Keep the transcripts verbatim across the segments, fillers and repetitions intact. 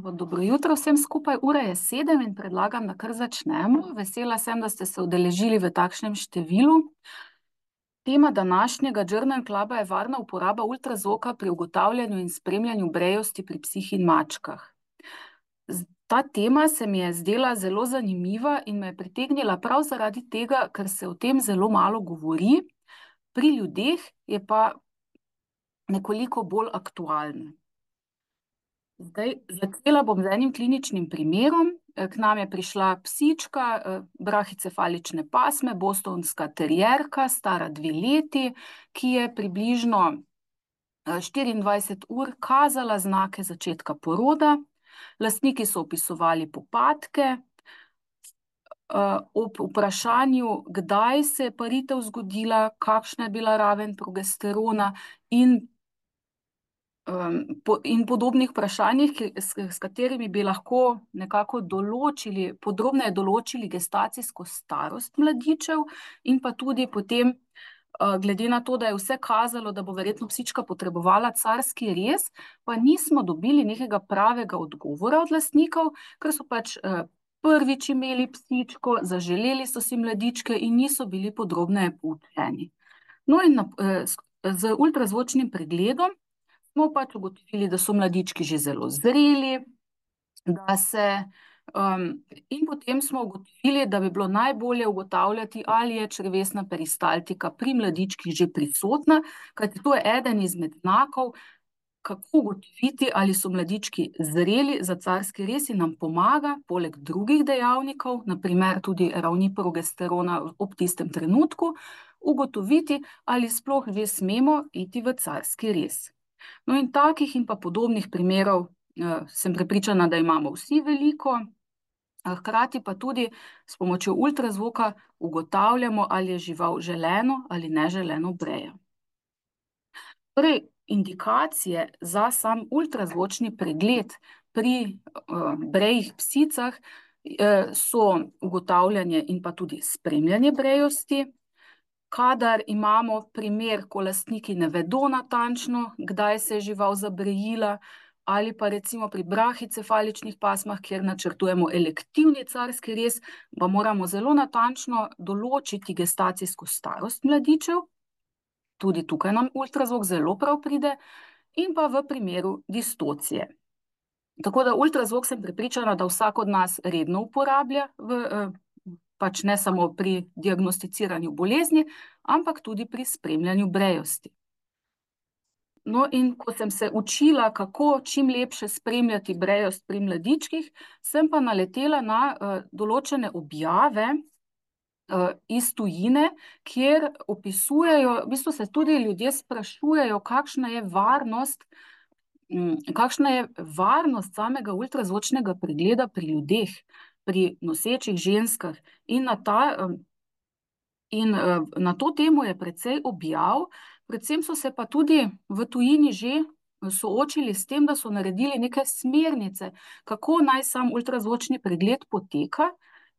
Pa dobro jutro vsem skupaj, ura je sedem in predlagam, da kar začnemo. Vesela sem, da ste se udeležili v takšnem številu. Tema današnjega Journal Cluba je varna uporaba ultrazvoka pri ugotavljanju in spremljanju brejosti pri psih in mačkah. Z- Ta tema se mi je zdela zelo zanimiva in me je pritegnila prav zaradi tega, ker se o tem zelo malo govori, pri ljudeh je pa nekoliko bolj aktualna. Zdaj, začela bom z enim kliničnim primerom. Eh, K nam je prišla psička, eh, brahicefalične pasme, bostonska terierka, stara dve leti, ki je približno eh, štiriindvajset ur kazala znake začetka poroda. Lastniki so opisovali popadke. Eh, Ob vprašanju, kdaj se je paritev zgodila, kakšna je bila raven progesterona in um, po, in podobnih vprašanjih, ki, s, s katerimi bi lahko nekako določili, podrobneje določili gestacijsko starost mladičev in pa tudi potem, uh, glede na to, da je vse kazalo, da bo verjetno psička potrebovala carski rez, pa nismo dobili nekega pravega odgovora od lastnikov, ker so pač uh, prvič imeli psičko, zaželeli so si mladičke in niso bili podrobneje poučeni. No in na, eh, s- z ultrazvočnim pregledom smo pač ugotovili, da so mladički že zelo zreli, da se, um, in potem smo ugotovili, da bi bilo najbolje ugotavljati, ali je črevesna peristaltika pri mladičkih že prisotna, kajti to je eden izmed znakov, kako ugotoviti, ali so mladički zreli za carski rez in nam pomaga, poleg drugih dejavnikov, naprimer tudi ravni progesterona ob tistem trenutku, ugotoviti, ali sploh že smemo iti v carski rez. No in takih in pa podobnih primerov eh, sem prepričana, da imamo vsi veliko, a hkrati pa tudi s pomočjo ultrazvoka ugotavljamo, ali je žival želeno ali neželeno breja. Torej, indikacije za sam ultrazvočni pregled pri uh, brejih psicah uh, so ugotavljanje in pa tudi spremljanje brejosti. Kadar imamo primer, ko lastniki ne vedo natančno, kdaj se je žival zabrejila, ali pa recimo pri brahicefaličnih pasmah, kjer načrtujemo elektivni carski rez, pa moramo zelo natančno določiti gestacijsko starost mladičev. Tudi tukaj nam ultrazvok zelo prav pride, in pa v primeru distocije. Tako da ultrazvok sem prepričana, da vsak od nas redno uporablja, v, eh, pač ne samo pri diagnosticiranju bolezni, ampak tudi pri spremljanju brejosti. No, in ko sem se učila, kako čim lepše spremljati brejost pri mladičkih, sem pa naletela na uh, določene objave uh, iz tujine, kjer opisujejo, v bistvu se tudi ljudje sprašujejo, kakšna je varnost, um, kakšna je varnost samega ultrazvočnega pregleda pri ljudeh, pri nosečih ženskah. In na ta, um, in, uh, na to temo je precej objav, predvsem so se pa tudi v tujini že soočili s tem, da so naredili neke smernice, kako naj sam ultrazvočni pregled poteka,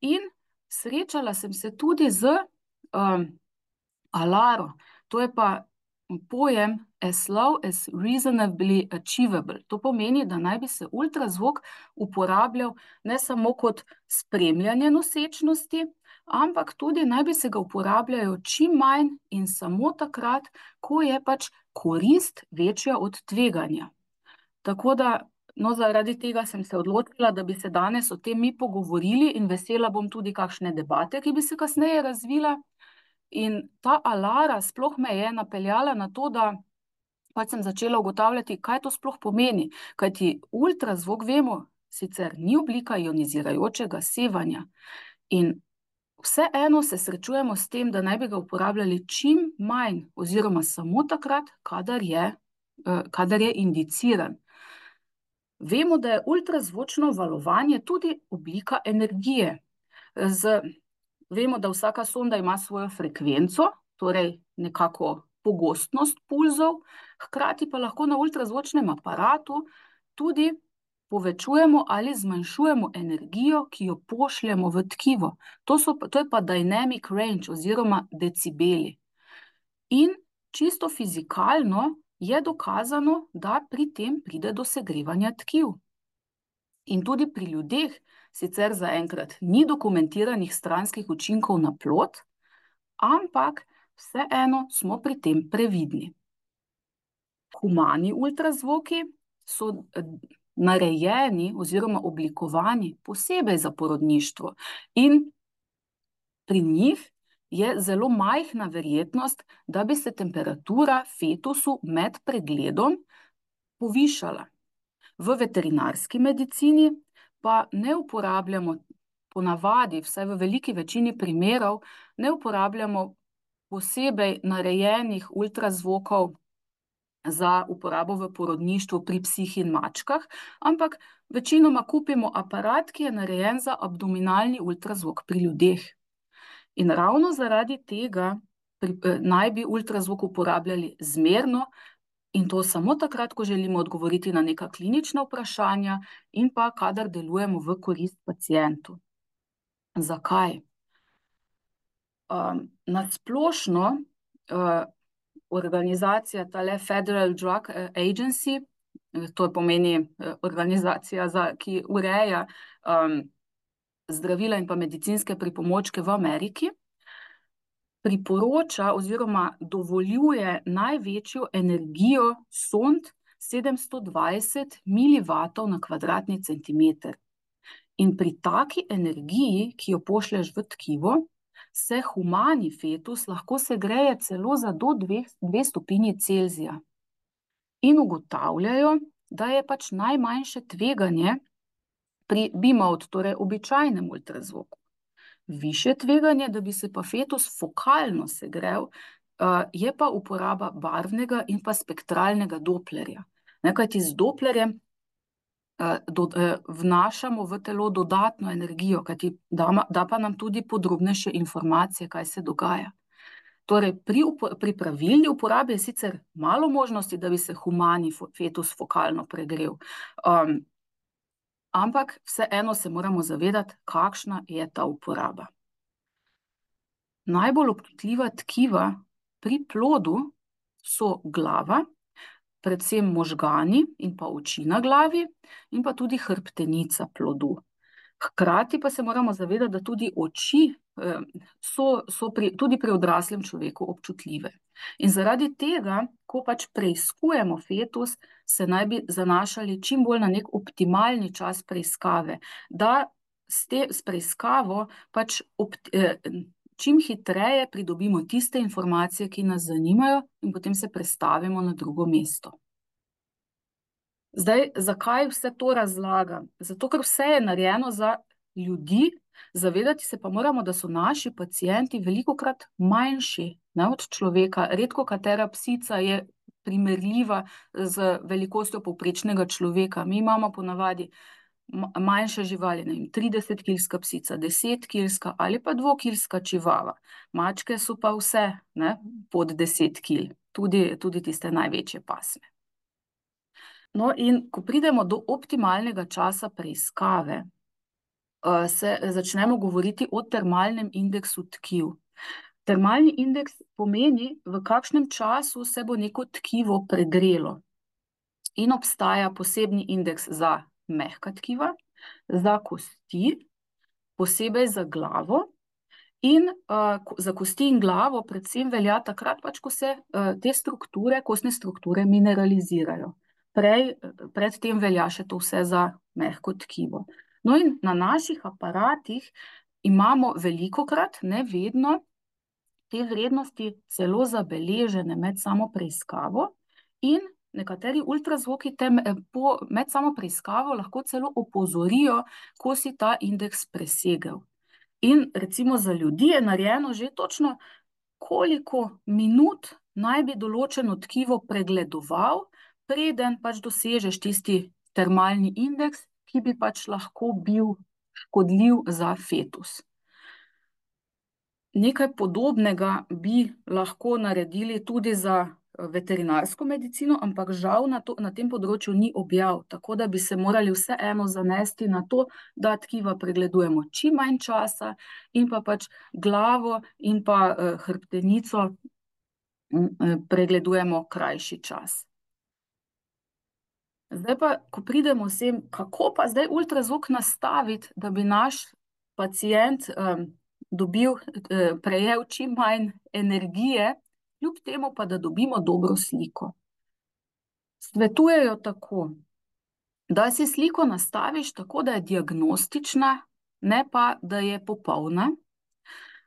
in srečala sem se tudi z um, alaro. To je pa pojem as low as reasonably achievable. To pomeni, da naj bi se ultrazvok uporabljal ne samo kot spremljanje nosečnosti, ampak tudi naj bi se ga uporabljajo čim manj in samo takrat, ko je pač korist večja od tveganja. Tako da, no, zaradi tega sem se odločila, da bi se danes o tem mi pogovorili, in vesela bom tudi kakšne debate, ki bi se kasneje razvila. In ta alara sploh me je napeljala na to, da pač sem začela ugotavljati, kaj to sploh pomeni. Kajti ultrazvok, vemo, sicer ni oblika ionizirajočega sevanja, in vseeno se srečujemo s tem, da naj bi ga uporabljali čim manj oziroma samo takrat, kadar je, eh, kadar je indiciran. Vemo, da je ultrazvočno valovanje tudi oblika energije. Z, vemo, da vsaka sonda ima svojo frekvenco, torej nekako pogostnost pulzov, hkrati pa lahko na ultrazvočnem aparatu tudi povečujemo ali zmanjšujemo energijo, ki jo pošljemo v tkivo. To, so, to je pa dynamic range oziroma decibeli. In čisto fizikalno je dokazano, da pri tem pride do segrevanja tkiv. In tudi pri ljudeh sicer zaenkrat ni dokumentiranih stranskih učinkov na plod, ampak vseeno smo pri tem previdni. Humani ultrazvoki so narejeni oziroma oblikovani posebej za porodništvo in pri njih je zelo majhna verjetnost, da bi se temperatura fetusu med pregledom povišala. V veterinarski medicini pa ne uporabljamo, ponavadi, vsaj v veliki večini primerov, ne uporabljamo posebej narejenih ultrazvokov za uporabo v porodništvu pri psih in mačkah, ampak večinoma kupimo aparat, ki je narejen za abdominalni ultrazvok pri ljudeh. In ravno zaradi tega pri, eh, naj bi ultrazvok uporabljali zmerno, in to samo takrat, ko želimo odgovoriti na neka klinična vprašanja in pa kadar delujemo v korist pacientu. Zakaj? Um, na splošno uh, organizacija, tale Federal Drug Agency, to pomeni uh, organizacija, za, ki ureja um, zdravila in pa medicinske pripomočke v Ameriki, priporoča oziroma dovoljuje največjo energijo sond sedemsto dvajset milivatov na kvadratni centimeter. In pri taki energiji, ki jo pošlješ v tkivo, se humani fetus lahko segreje celo za do dve, dve stopinji Celzija. In ugotavljajo, da je pač najmanjše tveganje pri B-mode, torej običajnem ultrazvoku. Višje tveganje, da bi se pa fetus fokalno segrel, je pa uporaba barvnega in pa spektralnega doplerja. Kajti z doplerjem do, vnašamo v telo dodatno energijo, kajti da, da pa nam tudi podrobnejše informacije, kaj se dogaja. Torej, pri, pri pravilni uporabi je sicer malo možnosti, da bi se humani fetus fokalno pregrel, um, ampak vseeno se moramo zavedati, kakšna je ta uporaba. Najbolj občutljiva tkiva pri plodu so glava, predvsem možgani in pa oči na glavi in pa tudi hrbtenica plodu. Hkrati pa se moramo zavedati, da tudi oči so, so pri, tudi pri odraslem človeku občutljive. In zaradi tega, ko pač preiskujemo fetus, se naj bi zanašali čim bolj na nek optimalni čas preiskave, da s, te, s preiskavo pač opt, eh, čim hitreje pridobimo tiste informacije, ki nas zanimajo, in potem se prestavimo na drugo mesto. Zdaj, zakaj vse to razlagam? Zato, ker vse je narejeno za ljudi, zavedati se pa moramo, da so naši pacienti velikokrat manjši, ne, od človeka. Redko katera psica je primerljiva z velikostjo povprečnega človeka. Mi imamo ponavadi manjše živali, ne vem, tridesetkilska psica, desetkilska ali pa dvokilska čivava. Mačke so pa vse, ne, pod deset kil, tudi, tudi tiste največje pasme. No, in ko pridemo do optimalnega časa preiskave, se začnemo govoriti o termalnem indeksu tkiv. Termalni indeks pomeni, v kakšnem času se bo neko tkivo pregrelo. In obstaja posebni indeks za mehka tkiva, za kosti, posebej za glavo, in uh, za kosti in glavo predvsem velja takrat, pač, ko se uh, te strukture, kostne strukture mineralizirajo. Prej, predtem velja še to vse za mehko tkivo. No, in na naših aparatih imamo velikokrat, ne vedno, te vrednosti celo zabeležene med samo preiskavo in nekateri ultrazvoki te po, med samo preiskavo lahko celo opozorijo, ko si ta indeks presegel. In recimo za ljudi je narejeno že točno, koliko minut naj bi določeno tkivo pregledoval, preden pač dosežeš tisti termalni indeks, ki bi pač lahko bil škodljiv za fetus. Nekaj podobnega bi lahko naredili tudi za veterinarsko medicino, ampak žal na, to, na tem področju ni objav, tako da bi se morali vseeno zanesti na to, da tkiva pregledujemo čim manj časa in pa pač glavo in pa eh, hrbtenico eh, pregledujemo krajši čas. Zdaj pa, ko pridemo vsem, kako pa zdaj ultrazvok nastaviti, da bi naš pacient um, dobil, eh, prejel čim manj energije, kljub temu pa, da dobimo dobro sliko. Svetujejo tako, da si sliko nastaviš tako, da je diagnostična, ne pa, da je popolna,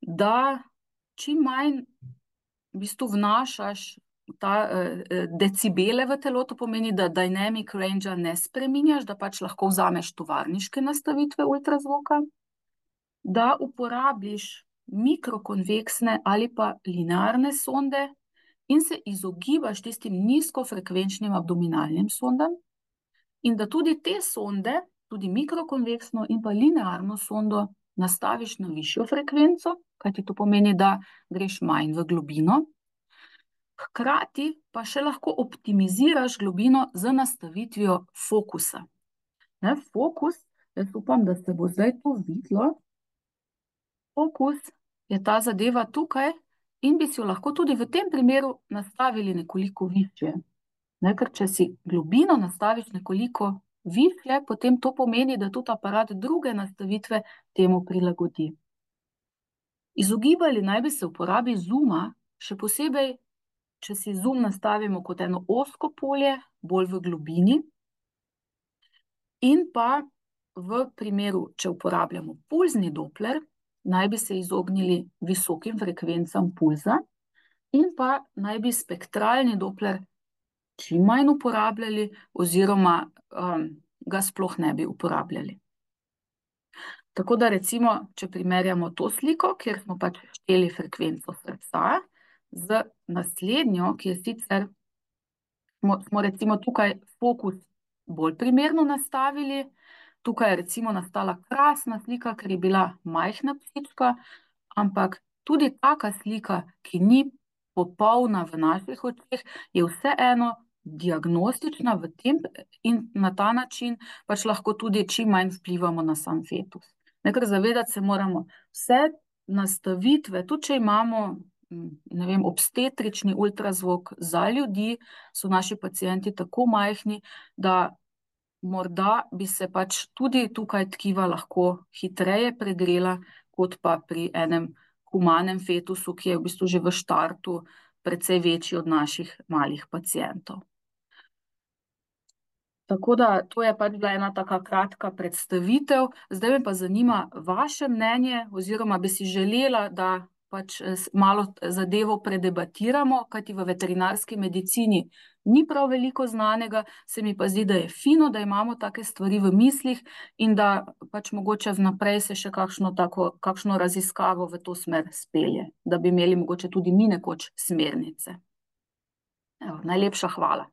da čim manj v bistvu vnašaš ta uh, decibele v telo, to pomeni, da dynamic range ne spreminjaš, da pač lahko vzameš tovarniške nastavitve ultrazvoka, da uporabiš mikrokonveksne ali pa linearne sonde in se izogibaš tistim nizkofrekvenčnim abdominalnim sondam, in da tudi te sonde, tudi mikrokonveksno in pa linearno sondo, nastaviš na višjo frekvenco, kajti to pomeni, da greš manj v globino. Hkrati pa še lahko optimiziraš globino z nastavitvijo fokusa. Ne, fokus, jaz upam, da se bo zdaj to videlo. Fokus je ta zadeva tukaj in bi si jo lahko tudi v tem primeru nastavili nekoliko višje. Ne, ker če si globino nastaviš nekoliko višje, potem to pomeni, da tudi aparat druge nastavitve temu prilagodi. Izogibali naj bi se uporabi zooma, še posebej, če si zoom nastavimo kot eno ozko polje, bolj v globini, in pa v primeru, če uporabljamo pulzni dopler, naj bi se izognili visokim frekvencam pulza in pa naj bi spektralni dopler čim manj uporabljali oziroma um, ga sploh ne bi uporabljali. Tako da recimo, če primerjamo to sliko, kjer smo pač šteli frekvenco srca, z naslednjo, ki je sicer, smo, smo recimo tukaj fokus bolj primerno nastavili, tukaj je recimo nastala krasna slika, ker je bila majhna psička, ampak tudi taka slika, ki ni popolna v naših očeh, je vseeno diagnostična v tem in na ta način pač lahko tudi čim manj vplivamo na sam fetus. Nekaj zavedati se moramo, vse nastavitve, tudi če imamo, ne vem, obstetrični ultrazvok za ljudi, so naši pacienti tako majhni, da morda bi se pač tudi tukaj tkiva lahko hitreje pregrela, kot pa pri enem humanem fetusu, ki je v bistvu že v štartu precej večji od naših malih pacientov. Tako da to je pač bila ena taka kratka predstavitev. Zdaj me pa zanima vaše mnenje, oziroma bi si želela, da pač malo zadevo predebatiramo, kajti v veterinarski medicini ni prav veliko znanega, se mi pa zdi, da je fino, da imamo take stvari v mislih in da pač mogoče vnaprej se še kakšno tako, kakšno raziskavo v to smer spelje, da bi imeli mogoče tudi mi nekoč smernice. Evo, najlepša hvala.